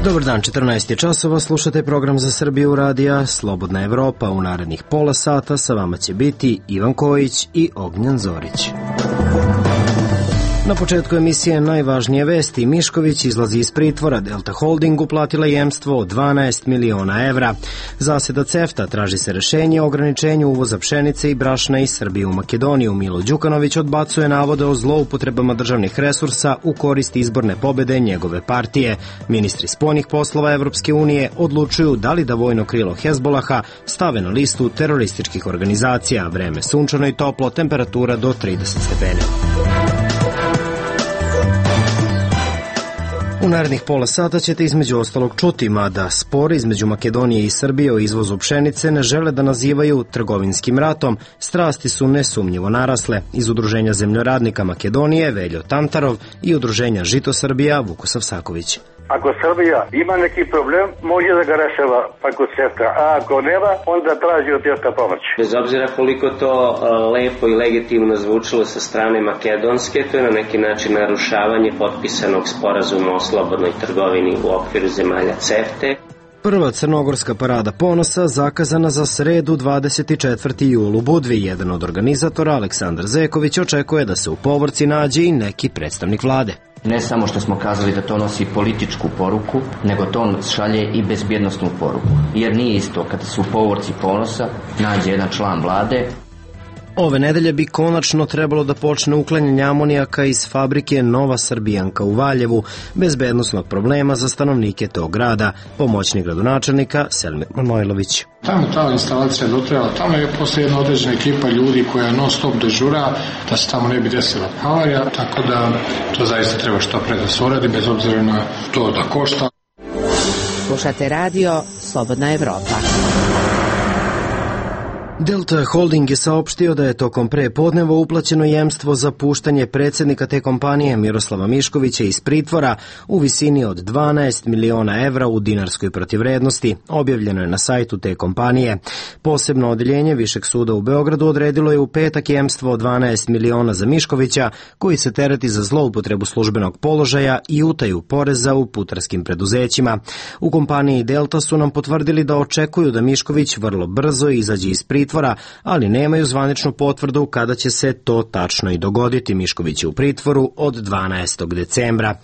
Dobar dan, 14 je časova, slušate program za Srbiju radija Slobodna Evropa. U narednih pola sata sa vama će biti Ivan Kojić i Ognjan Zorić. Na početku emisije najvažnije vesti. Mišković izlazi iz pritvora, Delta Holdingu platila jemstvo od 12 miliona evra. Zaseda CEFTA, traži se rešenje o ograničenju uvoza pšenice i brašna iz Srbije u Makedoniju. Milo Đukanović odbacuje navode o zloupotrebama državnih resursa u korist izborne pobede njegove partije. Ministri spoljnih poslova Evropske unije odlučuju da li da vojno krilo Hezbolaha stave na listu terorističkih organizacija. Vreme sunčano i toplo, temperatura do 30 stepeni. U narednih pola sata ćete između ostalog čuti, mada spor između Makedonije i Srbije o izvozu pšenice ne žele da nazivaju trgovinskim ratom, strasti su nesumnjivo narasle. Iz Udruženja zemljoradnika Makedonije Veljo Tantarov i Udruženja Žito Srbija Vukosav Saković. Ako Srbija ima neki problem, može da ga rešava preko CEFTA, a ako nema, onda traži od CEFTA pomoć. Bez obzira koliko to lepo i legitimno zvučilo sa strane makedonske, to je na neki način narušavanje potpisanog sporazuma o slobodnoj trgovini u okviru zemalja CEFTA. Prva crnogorska parada ponosa zakazana za sredu 24. jul u Budvi. Jedan od organizatora, Aleksandar Zeković, očekuje da se u povorci nađe i neki predstavnik vlade. Ne samo što smo kazali da to nosi političku poruku, nego to šalje i bezbjednostnu poruku. Jer nije isto kada se u povorci ponosa nađe jedan član vlade. Ove nedelje bi konačno trebalo da počne uklanjanje amonijaka iz fabrike Nova Srbijanka u Valjevu, bezbednosnog problema za stanovnike tog grada. Pomoćnik gradonačelnika Selmir Manojlović. Tamo ta instalacija dotrajala, tamo je posle jedna određena ekipa ljudi koja non stop dežura da se tamo ne bi desila havarija, tako da to zaista treba što pre da se uradi, bez obzira na to da košta. Slušate radio Slobodna Evropa. Delta Holding je saopštio da je tokom prepodneva uplaćeno jemstvo za puštanje predsjednika te kompanije Miroslava Miškovića iz pritvora u visini od 12 miliona evra u dinarskoj protivvrednosti. Objavljeno je na sajtu te kompanije. Posebno odeljenje Višeg suda u Beogradu odredilo je u petak jemstvo od 12 miliona za Miškovića, koji se tereti za zloupotrebu službenog položaja i utaju poreza u putarskim preduzećima. U kompaniji Delta su nam potvrdili da očekuju da Mišković vrlo brzo izađe iz pritvora, ali nemaju zvaničnu potvrdu kada će se to tačno i dogoditi. Mišković je u pritvoru od 12. decembra.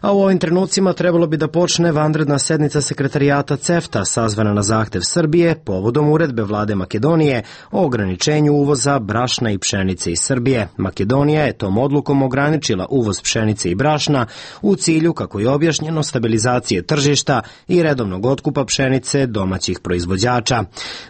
A u ovim trenucima trebalo bi da počne vanredna sednica sekretarijata CEFTA, sazvana na zahtev Srbije povodom uredbe vlade Makedonije o ograničenju uvoza brašna i pšenice iz Srbije. Makedonija je tom odlukom ograničila uvoz pšenice i brašna u cilju, kako je objašnjeno, stabilizacije tržišta i redovnog otkupa pšenice domaćih proizvođača.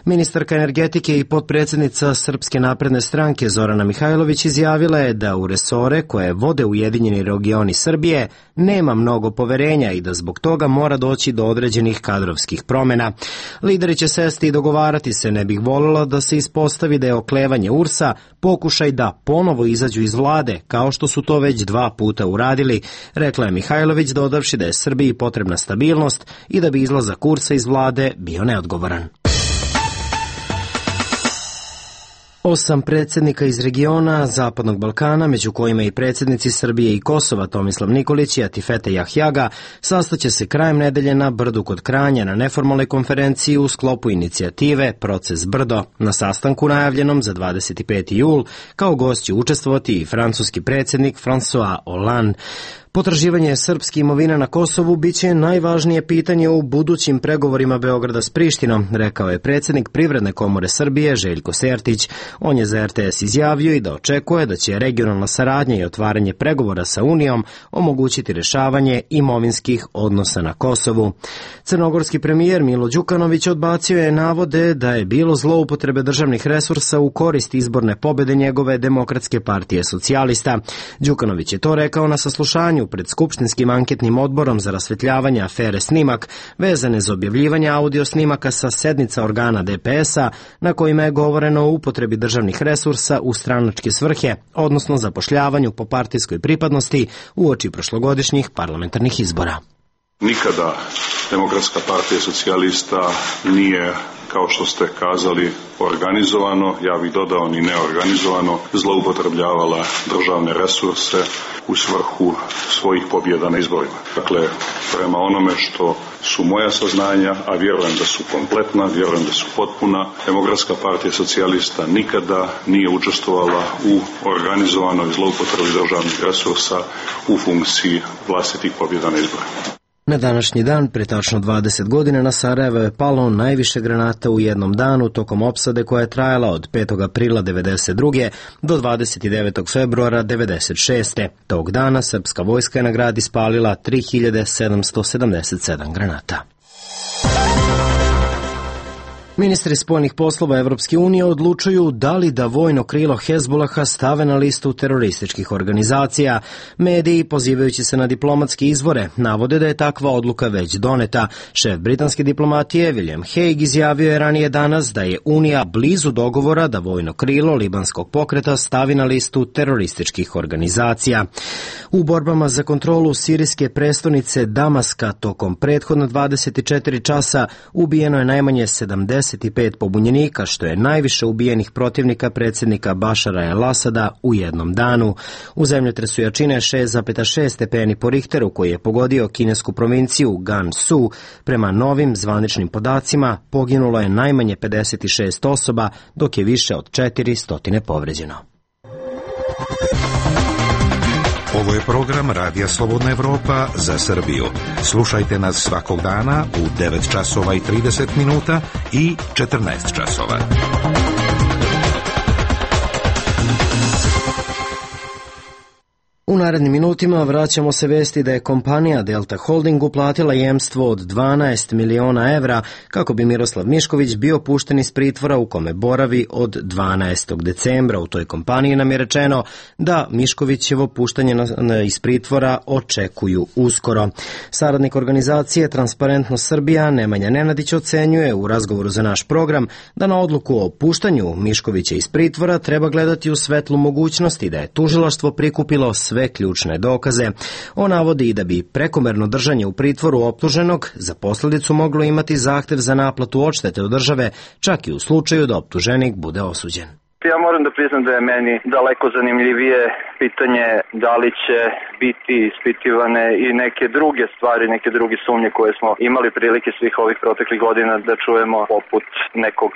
Ministarka energetike i potpredsjednica Srpske napredne stranke Zorana Mihajlović izjavila je da u resore koje vode Ujedinjeni regioni Srbije nema mnogo poverenja i da zbog toga mora doći do određenih kadrovskih promjena. Lideri će sesti i dogovarati se, ne bih voljela da se ispostavi da je oklevanje URS-a pokušaj da ponovo izađu iz vlade, kao što su to već 2 puta uradili, rekla je Mihajlović, dodavši da je Srbiji potrebna stabilnost i da bi izlazak URS-a iz vlade bio neodgovoran. 8 predsjednika iz regiona Zapadnog Balkana, među kojima i predsjednici Srbije i Kosova Tomislav Nikolić i Atifete Jahjaga, sastaće se krajem nedelje na Brdu kod Kranja na neformalnoj konferenciji u sklopu inicijative Proces Brdo. Na sastanku najavljenom za 25. jul kao gost će učestvovati i francuski predsjednik François Hollande. Potraživanje srpske imovine na Kosovu biće najvažnije pitanje u budućim pregovorima Beograda s Prištinom, rekao je predsjednik Privredne komore Srbije Željko Sertić. On je za RTS izjavio i da očekuje da će regionalna saradnja i otvaranje pregovora sa Unijom omogućiti rješavanje imovinskih odnosa na Kosovu. Crnogorski premijer Milo Đukanović odbacio je navode da je bilo zloupotrebe državnih resursa u korist izborne pobjede njegove Demokratske partije socijalista. Đukanović je to rekao na saslušanju pred Skupštinskim anketnim odborom za rasvetljavanje afere Snimak, vezane za objavljivanje audio snimaka sa sednica organa DPS-a, na kojima je govoreno o upotrebi državnih resursa u stranačke svrhe, odnosno zapošljavanju po partijskoj pripadnosti uoči prošlogodišnjih parlamentarnih izbora. Nikada Demokratska partija socijalista nije kao što ste kazali, organizovano, ja bih dodao ni neorganizovano, zloupotrebljavala državne resurse u svrhu svojih pobjeda na izborima. Dakle, prema onome što su moja saznanja, a vjerujem da su kompletna, vjerujem da su potpuna, Demokratska partija socijalista nikada nije učestvovala u organizovanoj zloupotrebi državnih resursa u funkciji vlastitih pobjeda na izborima. Na današnji dan, pre tačno 20 godina, na Sarajevo je palo najviše granata u jednom danu tokom opsade koja je trajala od 5. aprila 1992. do 29. februara 1996. Tog dana srpska vojska je na grad ispalila 3777 granata. Ministri spoljnih poslova Evropske unije odlučuju da li da vojno krilo Hezbolaha stave na listu terorističkih organizacija. Mediji, pozivajući se na diplomatske izvore, navode da je takva odluka već doneta. Šef britanske diplomatije William Hague izjavio je ranije danas da je Unija blizu dogovora da vojno krilo libanskog pokreta stavi na listu terorističkih organizacija. U borbama za kontrolu sirijske prestonice Damaska tokom prethodno 24 časa ubijeno je najmanje 75 pobunjenika, što je najviše ubijenih protivnika predsjednika Bašara el-Asada u jednom danu. U zemljotresu jačine 6,6 stepeni po Richteru, koji je pogodio kinesku provinciju Gansu, prema novim zvaničnim podacima poginulo je najmanje 56 osoba, dok je više od 400 povređeno. Ovo je program Radija Slobodna Evropa za Srbiju. Slušajte nas svakog dana u 9 časova i 30 minuta i 14 časova. U narednim minutima vraćamo se vesti da je kompanija Delta Holding uplatila jemstvo od 12 miliona evra kako bi Miroslav Mišković bio pušten iz pritvora u kome boravi od 12. decembra. U toj kompaniji nam je rečeno da Miškovićevo puštanje iz pritvora očekuju uskoro. Saradnik organizacije Transparentnost Srbija Nemanja Nenadić ocenjuje u razgovoru za naš program da na odluku o puštanju Miškovića iz pritvora treba gledati u svetlu mogućnosti da je tužilaštvo prikupilo sve ključne dokaze. On navodi i da bi prekomerno držanje u pritvoru optuženog za posljedicu moglo imati zahtjev za naplatu odštete od države, čak i u slučaju da optuženik bude osuđen. Ja moram da priznam da je meni daleko zanimljivije pitanje da li će biti ispitivane i neke druge stvari, neke druge sumnje koje smo imali prilike svih ovih proteklih godina da čujemo, poput nekog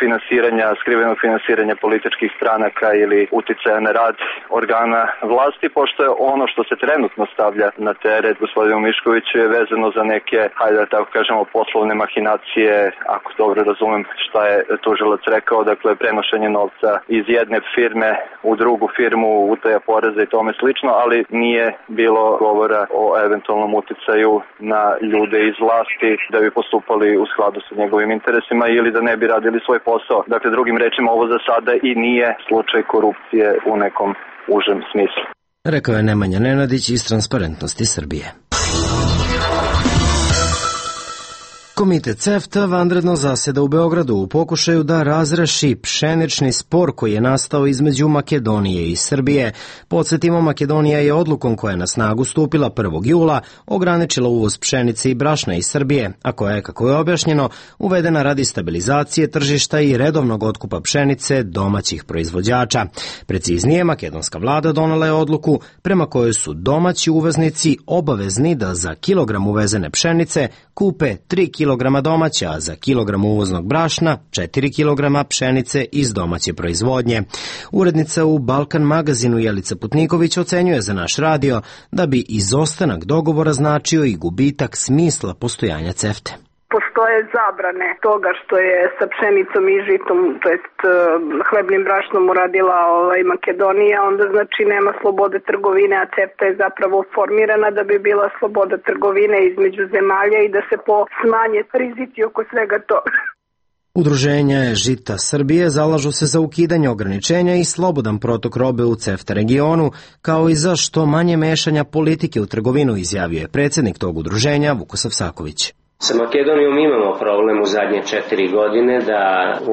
finansiranja, skrivenog finansiranja političkih stranaka ili uticaja na rad organa vlasti, pošto je ono što se trenutno stavlja na teret gospodinu Miškoviću je vezano za neke, hajde da tako kažemo, poslovne mahinacije, ako dobro razumem šta je tužilac rekao, dakle prenošenje novca iz jedne firme u drugu firmu, utaja poreza i tome slično, ali nije bilo govora o eventualnom uticaju na ljude iz vlasti da bi postupali u skladu sa njegovim interesima ili da ne bi radili svoj posao. Dakle, drugim rečima, ovo za sada i nije slučaj korupcije u nekom užem smislu. Rekao je Nemanja Nenadić iz Transparentnosti Srbije. Komitet CEFTA vanredno zaseda u Beogradu u pokušaju da razreši pšenični spor koji je nastao između Makedonije i Srbije. Podsjetimo, Makedonija je odlukom koja je na snagu stupila 1. jula ograničila uvoz pšenice i brašna iz Srbije, a koja je, kako je objašnjeno, uvedena radi stabilizacije tržišta i redovnog otkupa pšenice domaćih proizvođača. Preciznije, makedonska vlada donela je odluku prema kojoj su domaći uvoznici obavezni da za kilogram uvezene pšenice kupe 3 kilograma domaća, a za kilogram uvoznog brašna 4 kilograma pšenice iz domaće proizvodnje. Urednica u Balkan magazinu Jelica Putniković ocenjuje za naš radio da bi izostanak dogovora značio i gubitak smisla postojanja CEFTA. Postoje zabrane toga što je sa pšenicom i žitom, to jest hlebnim brašnom uradila Makedonija, onda znači nema slobode trgovine, a CEFTA je zapravo formirana da bi bila sloboda trgovine između zemalja i da se smanje rizici oko svega toga. Udruženja Žita Srbije zalažu se za ukidanje ograničenja i slobodan protok robe u CEFTA regionu, kao i za što manje mešanja politike u trgovinu, izjavio je predsjednik tog udruženja Vukosav Saković. Sa Makedonijom imamo problem u zadnje 4 godine da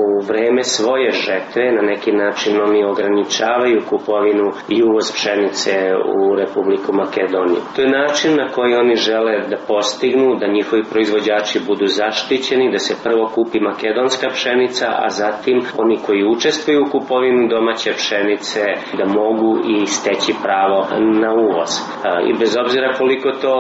u vreme svoje žetve na neki način oni ograničavaju kupovinu i uvoz pšenice u Republiku Makedoniju. To je način na koji oni žele da postignu da njihovi proizvođači budu zaštićeni, da se prvo kupi makedonska pšenica, a zatim oni koji učestvuju u kupovinu domaće pšenice da mogu i steći pravo na uvoz. I bez obzira koliko to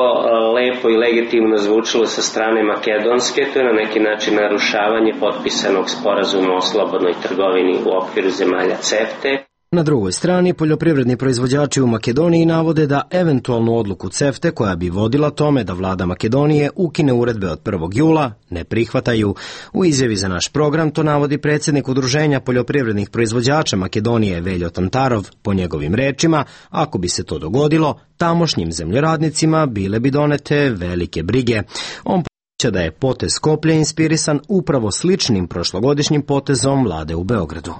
lepo i legitimno zvučilo sa strane Makedonske, to je na neki način narušavanje potpisanog sporazuma o slobodnoj trgovini u okviru zemalja CEFTE. Na drugoj strani, poljoprivredni proizvođači u Makedoniji navode da eventualnu odluku CEFTE koja bi vodila tome da vlada Makedonije ukine uredbe od 1. jula ne prihvataju. U izjavi za naš program to navodi predsjednik Udruženja poljoprivrednih proizvođača Makedonije Veljo Tantarov. Po njegovim rečima, ako bi se to dogodilo, tamošnjim zemljoradnicima bile bi donete velike brige. On podsjeća da je potez Skoplje inspirisan upravo sličnim prošlogodišnjim potezom vlade u Beogradu.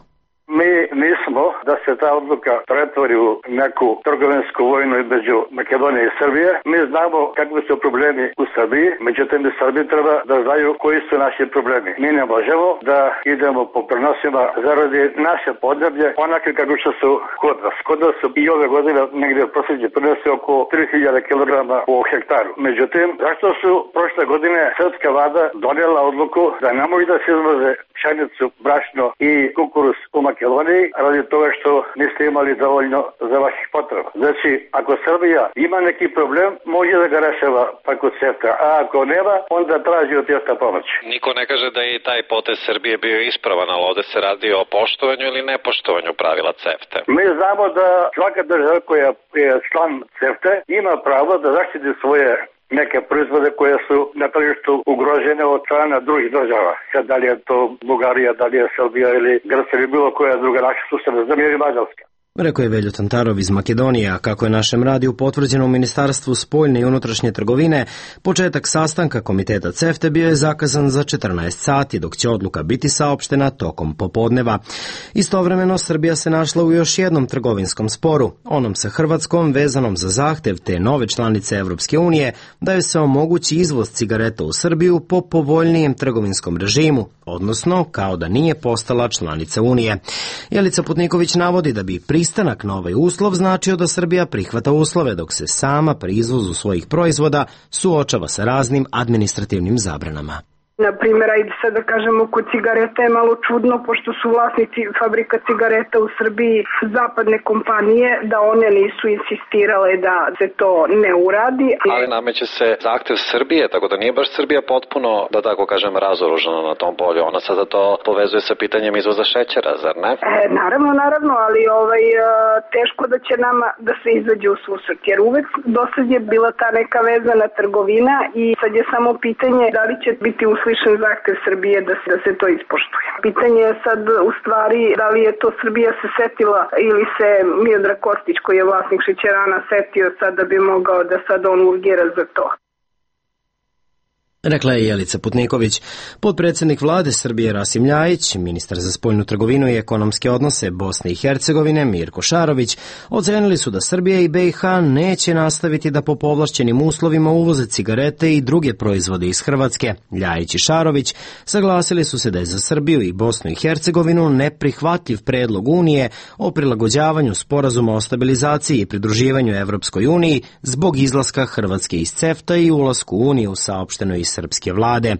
Mi nismo da se ta odluka pretvori u neku trgovinsku vojnu između Makedonije i Srbije. Mi znamo kakvi su problemi u Srbiji, međutim i Srbiji treba da znaju koji su naši problemi. Mi ne možemo da idemo po prenosima zaradi naše podneblje onake kako što su kod nas. Kod nas su i ove godine negdje prosjeđe prinose oko 3000 kg po hektaru. Međutim, zašto su prošle godine srpska vlada donijela odluku da ne mogu da se izvoze pšenicu, brašno i kukuruz u Makedoniji radi toga što niste imali dovoljno za vaših potreba. Znači, ako Srbija ima neki problem, može da ga rešava preko CEFTA, a ako nema, onda traži od CEFTA pomoć. Niko ne kaže da je taj potez Srbije bio ispravan, ali ovde se radi o poštovanju ili nepoštovanju pravila CEFTA. Mi znamo da svaka država koja je član CEFTA ima pravo da zaštiti svoje neke proizvode koje su na tržištu ugrožene od strana drugih država. Sad, da li je to Bugarija, da li je Srbija ili Grčka ili bilo koja druga naša susedna zemlja ili Mađarska. Rekao je Veljo Tantarov iz Makedonije, a kako je našem radiju potvrđeno u Ministarstvu spoljne i unutrašnje trgovine, početak sastanka komiteta CEFTE bio je zakazan za 14 sati, dok će odluka biti saopštena tokom popodneva. Istovremeno, Srbija se našla u još jednom trgovinskom sporu, onom sa Hrvatskom vezanom za zahtev te nove članice Evropske unije da joj se omogući izvoz cigareta u Srbiju po povoljnijem trgovinskom režimu, odnosno kao da nije postala članica Unije. Jelica Putniković navodi da bi pristanak na ovaj uslov značio da Srbija prihvata uslove dok se sama pri izvozu svojih proizvoda suočava sa raznim administrativnim zabranama. Na primjer, ajde sad da kažemo, kod cigareta je malo čudno, pošto su vlasnici fabrika cigareta u Srbiji zapadne kompanije, da one nisu insistirale da se to ne uradi. Ali nameće se zahtev Srbije, tako da nije baš Srbija potpuno, da tako kažem, razoružana na tom polju. Ona sada to povezuje sa pitanjem izvoza šećera, zar ne? Naravno, ali teško da će nama da se izađe u susret, jer uvek dosad je bila ta neka vezana trgovina i sad je samo pitanje da li će biti uslišen zahtev Srbije da se to ispoštuje. Pitanje je sad u stvari da li je to Srbija se setila ili se Miodrag Kostić, koji je vlasnik šećerana, setio sad da bi mogao da sad on urgira za to. Rekla je Jelica Putniković. Potpredsjednik vlade Srbije Rasim Ljajić, ministar za spoljnu trgovinu i ekonomske odnose Bosne i Hercegovine Mirko Šarović ocenili su da Srbija i BiH neće nastaviti da po povlašćenim uslovima uvoze cigarete i druge proizvode iz Hrvatske. Ljajić i Šarović saglasili su se da je za Srbiju i Bosnu i Hercegovinu neprihvatljiv predlog Unije o prilagođavanju sporazuma o stabilizaciji i pridruživanju Evropskoj uniji zbog izlaska Hrvatske iz CEFTA i ulasku u Uniju, saopšteno iz srpske vlade.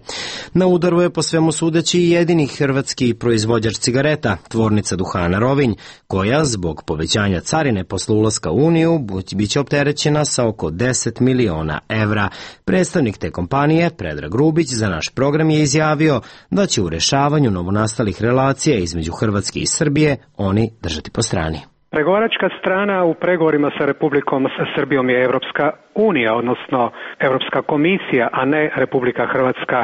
Na udaru je po svemu sudeći i jedini hrvatski proizvođač cigareta, tvornica duhana Rovinj, koja zbog povećanja carine posle ulaska u Uniju biće opterećena sa oko 10 miliona evra. Predstavnik te kompanije, Predrag Rubić, za naš program je izjavio da će u rešavanju novonastalih relacija između Hrvatske i Srbije oni držati po strani. Pregovaračka strana u pregovorima sa Republikom Srbijom je Evropska unija, odnosno Evropska komisija, a ne Republika Hrvatska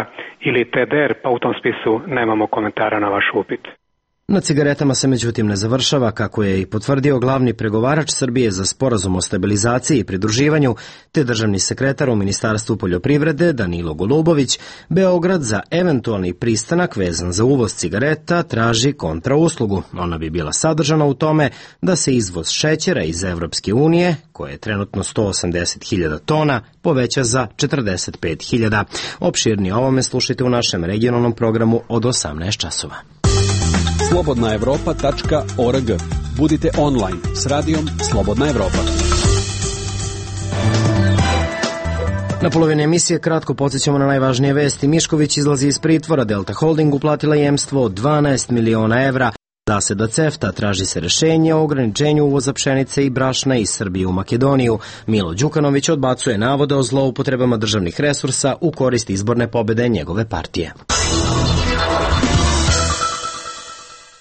ili TDR, pa u tom spisu nemamo komentara na vaš upit. Na cigaretama se međutim ne završava, kako je i potvrdio glavni pregovarač Srbije za sporazum o stabilizaciji i pridruživanju, te državni sekretar u Ministarstvu poljoprivrede Danilo Golubović. Beograd za eventualni pristanak vezan za uvoz cigareta traži kontrauslugu. Ona bi bila sadržana u tome da se izvoz šećera iz Evropske unije, koje je trenutno 180.000 tona, poveća za 45.000. Opširnije o ovome slušajte u našem regionalnom programu od 18 časova. slobodnaevropa.org. Budite online s radijom Slobodna Evropa. Na polovini emisije kratko podsjećamo na najvažnije vesti. Mišković izlazi iz pritvora, Delta Holding uplatila jemstvo od 12 miliona evra. Zaseda CEFTA, traži se rešenje o ograničenju uvoza pšenice i brašna iz Srbije u Makedoniju. Milo Đukanović odbacuje navode o zloupotrebama državnih resursa u korist izborne pobede njegove partije.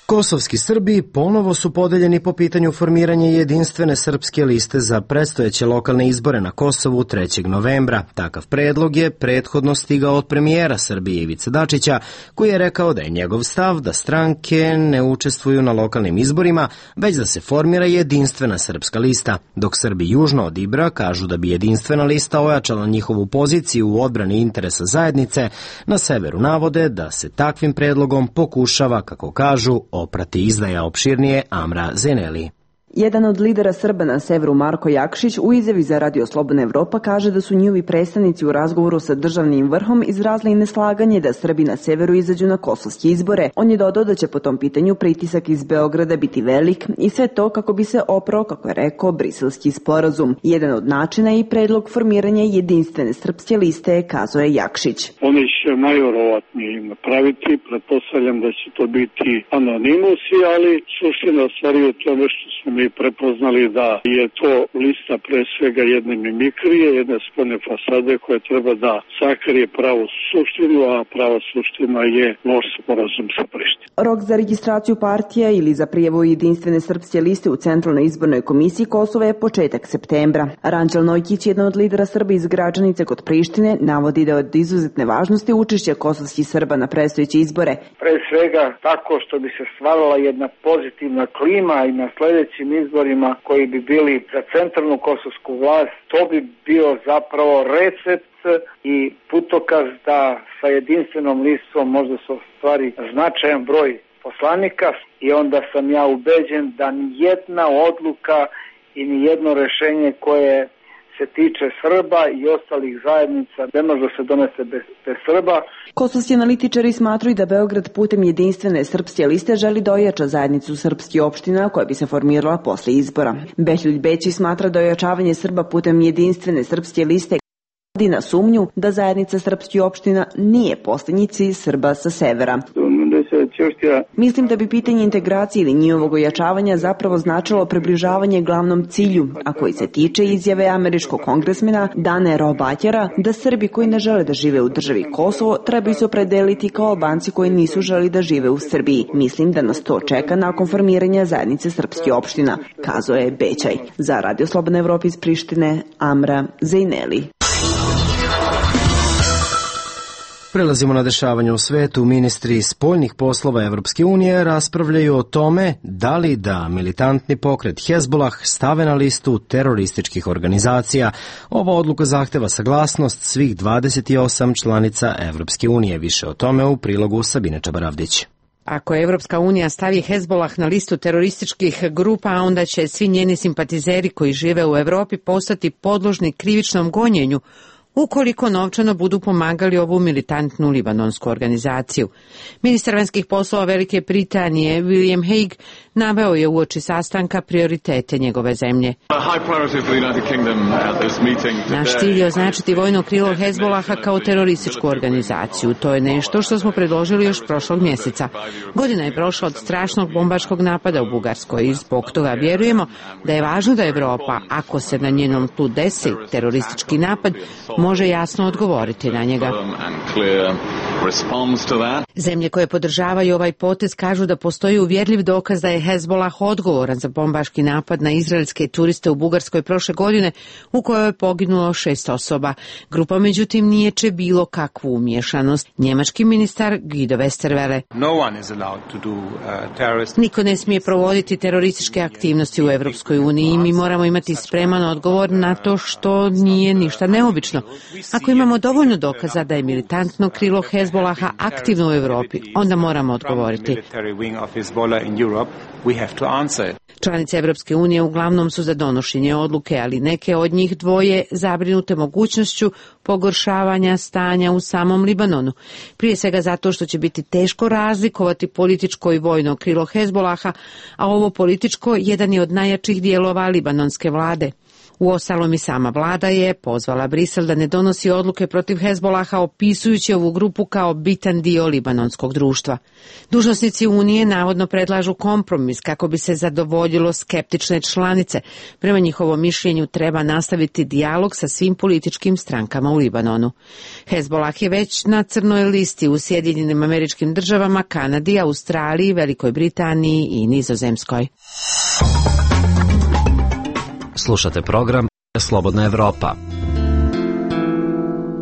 Kosovski Srbi ponovo su podeljeni po pitanju formiranja jedinstvene srpske liste za predstojeće lokalne izbore na Kosovu 3. novembra. Takav predlog je prethodno stigao od premijera Srbije Ivice Dačića, koji je rekao da je njegov stav da stranke ne učestvuju na lokalnim izborima, već da se formira jedinstvena srpska lista. Dok Srbi južno od Ibra kažu da bi jedinstvena lista ojačala njihovu poziciju u odbrani interesa zajednice, na severu navode da se takvim predlogom pokušava, kako kažu, oprati izdaja. Opširnije Amra Zeneli. Jedan od lidera Srba na severu, Marko Jakšić, u izjavi za Radio Slobodna Evropa kaže da su njihovi predstavnici u razgovoru sa državnim vrhom izrazili neslaganje da Srbi na severu izađu na kosovske izbore. On je dodao da će po tom pitanju pritisak iz Beograda biti velik i sve to kako bi se oprao, kako je rekao, briselski sporazum. Jedan od načina je i predlog formiranja jedinstvene srpske liste, kazao je Jakšić. Oni će najverovatnije napraviti, pretpostavljam da će to biti anonimusi, ali suština stvari je tome što smo mi prepoznali da je to lista pre svega jedne mimikrije, jedne spoljne fasade koja treba da sakrije pravu suštinu, a prava suština je loš sporazum sa Prištinom. Rok za registraciju partija ili za prijavu jedinstvene srpske liste u Centralnoj izbornoj komisiji Kosova je početak septembra. Ranđel Nojkić, jedan od lidera Srba iz Gračanice kod Prištine, navodi da je od izuzetne važnosti učešće kosovskih Srba na predstojeće izbore. Pre svega tako što bi se stvarala jedna pozitivna klima i na sledećim izborima koji bi bili za centralnu kosovsku vlast, to bi bio zapravo recept i putokaz da sa jedinstvenom listom možda se ostvari značajan broj poslanika i onda sam ja ubeđen da nijedna odluka i nijedno rešenje koje se tiče Srba i ostalih zajednica ne može da se donese bez Srba. Kosovski analitičari smatruju da Beograd putem jedinstvene srpske liste želi da ojača zajednicu srpskih opština koja bi se formirala posle izbora. Behljuj Bećić smatra da ojačavanje Srba putem jedinstvene srpske liste na sumnju da zajednica srpskih opština nije poslednji cilj Srba sa severa. Mislim da bi pitanje integracije ili njihovog ojačavanja zapravo značilo približavanje glavnom cilju, a koji se tiče izjave američkog kongresmena Dane Robatjera da Srbi koji ne žele da žive u državi Kosovo trebaju se opredeliti kao Albanci koji nisu želi da žive u Srbiji. Mislim da nas to čeka nakon formiranja zajednice srpskih opština, kazao je Bećaj. Za Radio Slobodna Evropa iz Prištine, Amra Zejneli. Prelazimo na dešavanje u svetu. Ministri spoljnih poslova Evropske unije raspravljaju o tome da li da militantni pokret Hezbollah stave na listu terorističkih organizacija. Ova odluka zahteva saglasnost svih 28 članica Evropske unije. Više o tome u prilogu Sabine Čabaravdić. Ako Evropska unija stavi Hezbollah na listu terorističkih grupa, onda će svi njeni simpatizeri koji žive u Evropi postati podložni krivičnom gonjenju ukoliko novčano budu pomagali ovu militantnu libanonsku organizaciju. Ministar vanjskih poslova Velike Britanije William Hague naveo je uoči sastanka prioritete njegove zemlje. Naš cilj je označiti vojno krilo Hezbollaha kao terorističku organizaciju. To je nešto što smo predložili još prošlog mjeseca. Godina je prošla od strašnog bombaškog napada u Bugarskoj i zbog toga vjerujemo da je važno da Evropa, ako se na njenom tlu desi teroristički napad, može jasno odgovoriti na njega. responds to that. Zemlje koje podržavaju ovaj potez kažu da postoji uvjerljiv dokaz da je Hezbollah odgovoran za bombaški napad na izraelske turiste u Bugarskoj prošle godine u kojoj je poginulo 6 osoba. Grupa međutim niječe bilo kakvu umiješanost. Njemački ministar Guido Westerwelle. Niko ne smije provoditi terorističke aktivnosti u Europskoj uniji i mi moramo imati spreman odgovor na to što nije ništa neobično. Ako imamo dovoljno dokaza da je militantno krilo Hezbollaha aktivno u Europi, onda moramo odgovoriti. Članice Europske unije uglavnom su za donošenje odluke, ali neke od njih dvoje zabrinute mogućnošću pogoršavanja stanja u samom Libanonu. Prije svega zato što će biti teško razlikovati političko i vojno krilo Hezbollaha, a ovo političko jedan je od najjačih dijelova libanonske vlade. Uostalom i sama vlada je pozvala Brisel da ne donosi odluke protiv Hezbollaha opisujući ovu grupu kao bitan dio libanonskog društva. Dužnosnici Unije navodno predlažu kompromis kako bi se zadovoljilo skeptične članice. Prema njihovom mišljenju treba nastaviti dijalog sa svim političkim strankama u Libanonu. Hezbollah je već na crnoj listi u Sjedinjenim Američkim Državama, Kanadi, Australiji, Velikoj Britaniji i Nizozemskoj. Slušate program Slobodna Evropa.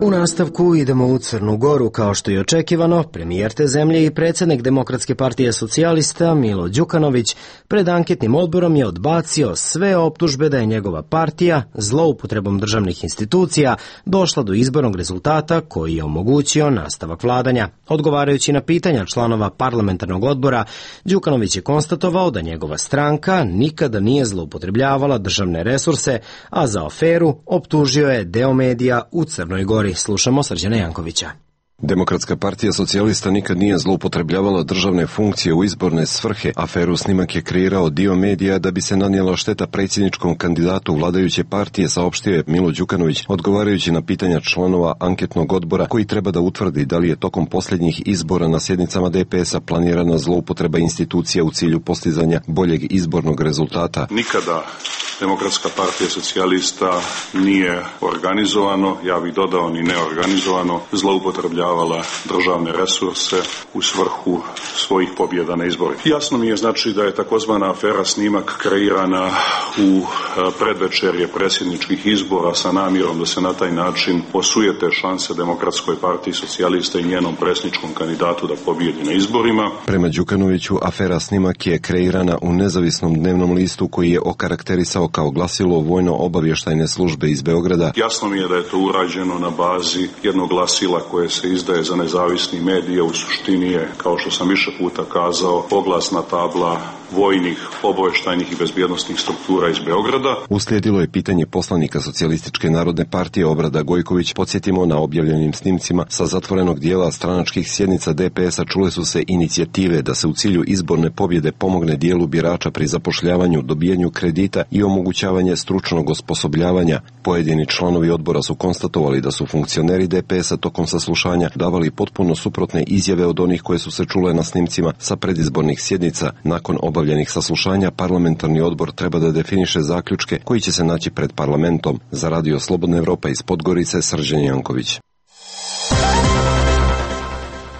U nastavku idemo u Crnu Goru. Kao što je očekivano, premijer te zemlje i predsjednik Demokratske partije socijalista Milo Đukanović pred anketnim odborom je odbacio sve optužbe da je njegova partija zloupotrebom državnih institucija došla do izbornog rezultata koji je omogućio nastavak vladanja. Odgovarajući na pitanja članova parlamentarnog odbora, Đukanović je konstatovao da njegova stranka nikada nije zloupotrebljavala državne resurse, a za aferu optužio je deo medija u Crnoj Gori. Slušamo Srđana Jankovića. Demokratska partija socijalista nikad nije zloupotrebljavala državne funkcije u izborne svrhe. Aferu snimak je kreirao dio medija da bi se nanijela šteta predsjedničkom kandidatu vladajuće partije, saopštio je Milo Đukanović, odgovarajući na pitanja članova anketnog odbora koji treba da utvrdi da li je tokom posljednjih izbora na sjednicama DPS-a planirana zloupotreba institucija u cilju postizanja boljeg izbornog rezultata. Nikada Demokratska partija socijalista nije organizovano, ja bih dodao ni neorganizovano, zloupotrebljavala državne resurse u svrhu svojih pobjeda na izborima. Jasno mi je znači da je takozvana afera snimak kreirana u predvečerje predsjedničkih izbora sa namjerom da se na taj način osujete šanse Demokratskoj partiji socijalista i njenom predsjedničkom kandidatu da pobjedi na izborima. Prema Đukanoviću, afera snimak je kreirana u nezavisnom dnevnom listu koji je okarakterisao kao glasilo vojno-obavještajne službe iz Beograda. Jasno mi je da je to urađeno na bazi jednog glasila koje se izdaje za nezavisni medije, u suštini je, kao što sam više puta kazao, oglasna tabla vojnih, obavještajnih i bezbjednosnih struktura iz Beograda. Uslijedilo je pitanje poslanika Socijalističke narodne partije Obrada Gojković. Podsjetimo, na objavljenim snimcima sa zatvorenog dijela stranačkih sjednica DPS-a čule su se inicijative da se u cilju izborne pobjede pomogne dijelu birača pri zapošljavanju, dobijanju kredita i omogućavanje stručnog osposobljavanja. Pojedini članovi odbora su konstatovali da su funkcioneri DPS-a tokom saslušanja davali potpuno suprotne izjave od onih koje su se čule na snimcima sa predizbornih sjednica. Nakon obavljenih saslušanja, parlamentarni odbor treba da definiše zaključke koji će se naći pred parlamentom. Za Radio Slobodna Evropa iz Podgorice, Srđan Janković.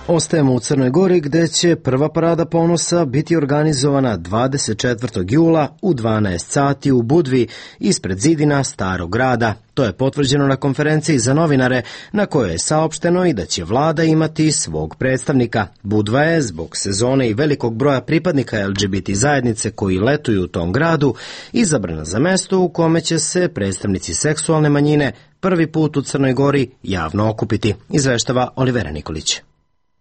Ostajemo u Crnoj Gori gdje će prva parada ponosa biti organizovana 24. jula u 12 sati u Budvi ispred zidina Starog grada. To je potvrđeno na konferenciji za novinare na kojoj je saopšteno i da će vlada imati svog predstavnika. Budva je zbog sezone i velikog broja pripadnika LGBT zajednice koji letuju u tom gradu izabrana za mesto u kome će se predstavnici seksualne manjine prvi put u Crnoj Gori javno okupiti, izveštava Olivera Nikolić.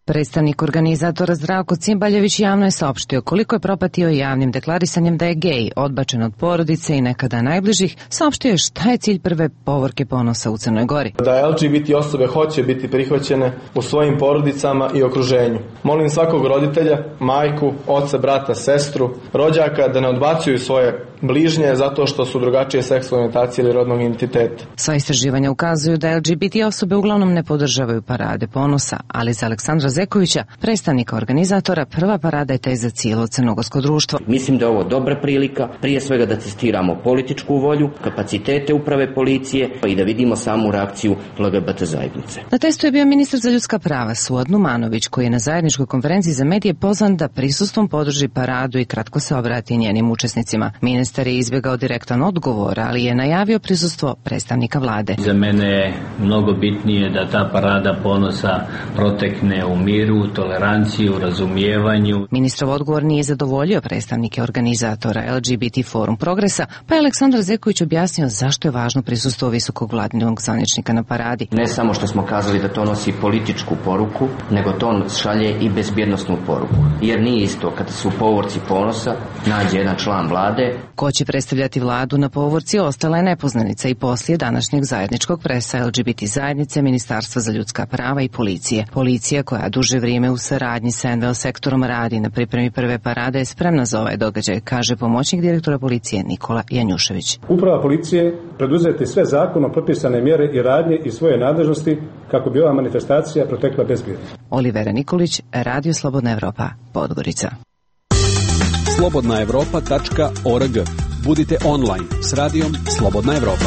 Predstavnik organizatora Zdravko Cimbaljević javno je saopštio koliko je propatio javnim deklarisanjem da je gej, odbačen od porodice i nekada najbližih, saopštio je šta je cilj prve povorke ponosa u Crnoj Gori. Da LGBT osobe hoće biti prihvaćene u svojim porodicama i okruženju. Molim svakog roditelja, majku, oca, brata, sestru, rođaka da ne odbacuju svoje bližnje zato što su drugačije seksualne orijentacije ili rodnog identiteta. Sva istraživanja ukazuju da LGBT osobe uglavnom ne podržavaju parade ponosa, ali za Aleksandra Zekovića, predstavnika organizatora, prva parada je taj za cijelo crnogorsko društvo. Mislim da je ovo dobra prilika, prije svega da testiramo političku volju, kapacitete uprave policije i da vidimo samu reakciju LGBT zajednice. Na testu je bio ministar za ljudska prava Suad Numanović, koji je na zajedničkoj konferenciji za medije pozvan da prisustvom podrži paradu i kratko se obrati njenim učesnicima. Ministar je izbjegao direktan odgovor, ali je najavio prisustvo predstavnika vlade. Za mene je mnogo bitnije da ta parada ponosa protekne u miru, toleranciji, u razumijevanju. Ministrov odgovor nije zadovoljio predstavnike organizatora LGBT Forum Progresa, pa je Aleksandar Zeković objasnio zašto je važno prisustvo visokog vladinog zvaničnika na paradi. Ne samo što smo kazali da to nosi političku poruku, nego to šalje i bezbjednosnu poruku. Jer nije isto kada su povorci ponosa nađe jedan član vlade. Ko će predstavljati vladu na povorci ostala je nepoznanica i poslije današnjeg zajedničkog presa LGBT zajednice, Ministarstva za ljudska prava i policije. Policija, koja duže vrijeme u saradnji sa NVO sektorom radi na pripremi prve parade, je spremna za ovaj događaj, kaže pomoćnik direktora policije Nikola Janjušević. Uprava policije preduzeti sve zakonom propisane mjere i radnje i svoje nadležnosti kako bi ova manifestacija protekla bezbjedno. Olivera Nikolić, Radio Slobodna Evropa, Podgorica. slobodnaevropa.org. Budite online s radijom Slobodna Evropa.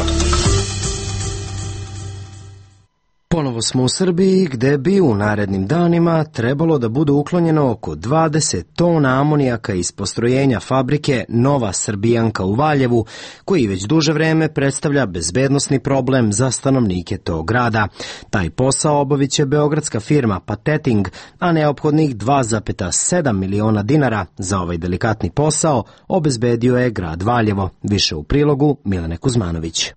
Ponovo smo u Srbiji, gde bi u narednim danima trebalo da bude uklonjeno oko 20 tona amonijaka iz postrojenja fabrike Nova Srbijanka u Valjevu, koji već duže vreme predstavlja bezbednosni problem za stanovnike tog grada. Taj posao obavit će beogradska firma Pateting, a neophodnih 2,7 miliona dinara za ovaj delikatni posao obezbedio je grad Valjevo. Više u prilogu Milene Kuzmanović.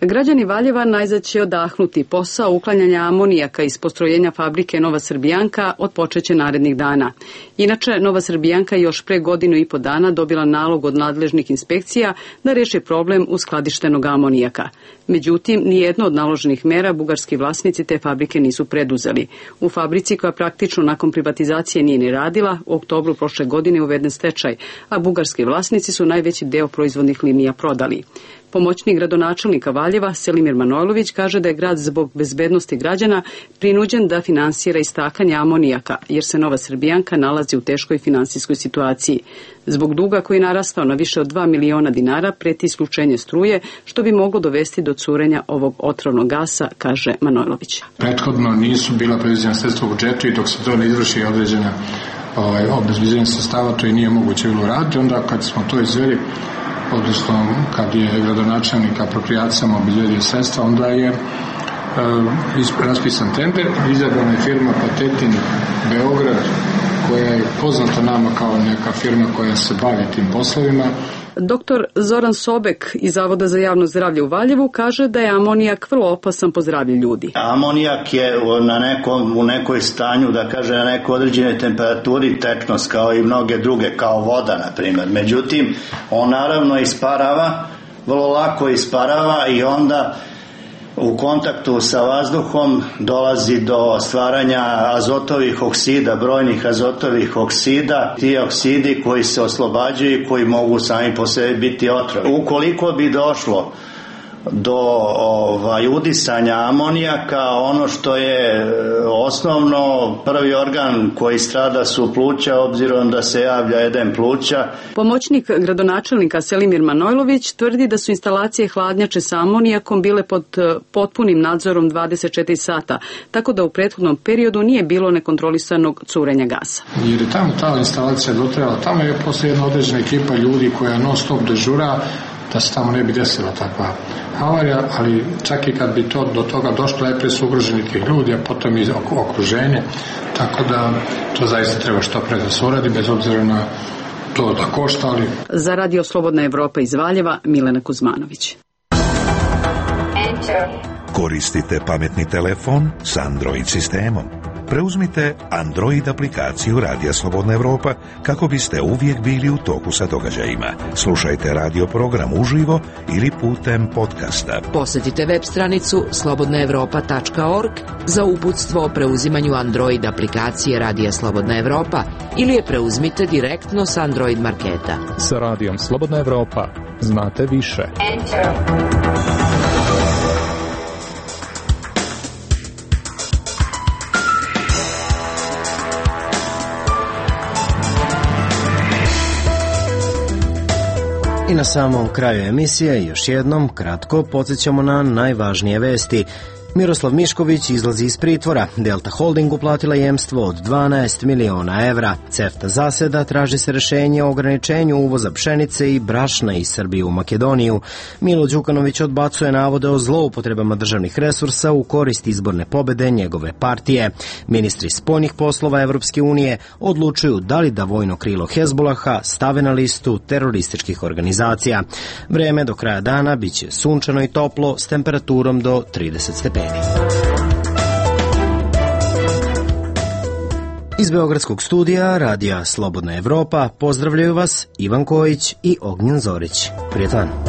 Građani Valjeva najzad će odahnuti. Posao uklanjanja amonijaka iz postrojenja fabrike Nova Srbijanka otpočeće narednih dana. Inače, Nova Srbijanka je još pre 1.5 godina dobila nalog od nadležnih inspekcija da reši problem uskladištenog amonijaka. Međutim, nijedno od naloženih mera bugarski vlasnici te fabrike nisu preduzeli. U fabrici, koja praktično nakon privatizacije nije ni radila, u oktobru prošle godine uveden stečaj, a bugarski vlasnici su najveći deo proizvodnih linija prodali. Pomoćnik gradonačelnika Valjeva Selimir Manojlović kaže da je grad zbog bezbednosti građana prinuđen da finansira istakanje amonijaka, jer se Nova Srbijanka nalazi u teškoj finansijskoj situaciji. Zbog duga koji je narastao na više od 2 miliona dinara preti isključenje struje, što bi moglo dovesti do curenja ovog otrovnog gasa, kaže Manojlović. Prethodno nisu bila predviđena sredstva u budžetu i dok se to ne izvrši određena obezbeđenje sredstava, to i nije moguće bilo raditi. Onda kad smo to izveli, odnosno kad je gradonačelnik aproprijacijama obezbedio sredstva, onda je raspisan tender, izabrana je firma Patetin Beograd, koja je poznata nama kao neka firma koja se bavi tim poslovima. Doktor Zoran Sobek iz Zavoda za javno zdravlje u Valjevu kaže da je amonijak vrlo opasan po zdravlje ljudi. Amonijak je u nekoj stanju, da kaže na nekoj određenoj temperaturi tečnost, kao i mnoge druge, kao voda na primjer. Međutim, on naravno isparava, vrlo lako isparava i onda u kontaktu sa vazduhom dolazi do stvaranja azotovih oksida, brojnih azotovih oksida, ti oksidi koji se oslobađaju i koji mogu sami po sebi biti otrovi. Ukoliko bi došlo do udisanja amonijaka, ono što je osnovno, prvi organ koji strada su pluća, obzirom da se javlja edem pluća. Pomoćnik gradonačelnika Selimir Manojlović tvrdi da su instalacije hladnjače sa amonijakom bile pod potpunim nadzorom 24 sata, tako da u prethodnom periodu nije bilo nekontrolisanog curenja gasa. Jer je tamo ta instalacija dotrajala, tamo je posle jedna određena ekipa ljudi koja non stop dežura, da se tamo ne bi desila takva havarija, ali čak i kad bi to do toga došlo, najprije su ugroženi tih ljudi, a potom i okruženje, tako da to zaista treba što pre da se uradi, bez obzira na to da košta, ali... Za Radio Slobodna Evropa iz Valjeva, Milena Kuzmanović. Koristite pametni telefon s Android sistemom. Preuzmite Android aplikaciju Radija Slobodna Evropa kako biste uvijek bili u toku sa događajima. Slušajte radio program uživo ili putem podcasta. Posjetite web stranicu slobodnaevropa.org za uputstvo o preuzimanju Android aplikacije Radija Slobodna Evropa ili je preuzmite direktno s Android marketa. Sa Radijom Slobodna Evropa znate više. I na samom kraju emisije još jednom kratko podsjećamo na najvažnije vesti. Miroslav Mišković izlazi iz pritvora, Delta Holding uplatila jemstvo od 12 miliona evra, CEFTA zaseda, traži se rješenje o ograničenju uvoza pšenice i brašna iz Srbije u Makedoniju. Milo Đukanović odbacuje navode o zloupotrebama državnih resursa u korist izborne pobede njegove partije. Ministri spoljnih poslova Evropske unije odlučuju da li da vojno krilo Hezbolaha stave na listu terorističkih organizacija. Vreme do kraja dana biće sunčano i toplo s temperaturom do 30 stepeni. Iz Beogradskog studija Radija Slobodna Evropa pozdravljaju vas Ivan Kojić i Ognjen Zorić. Prijetan!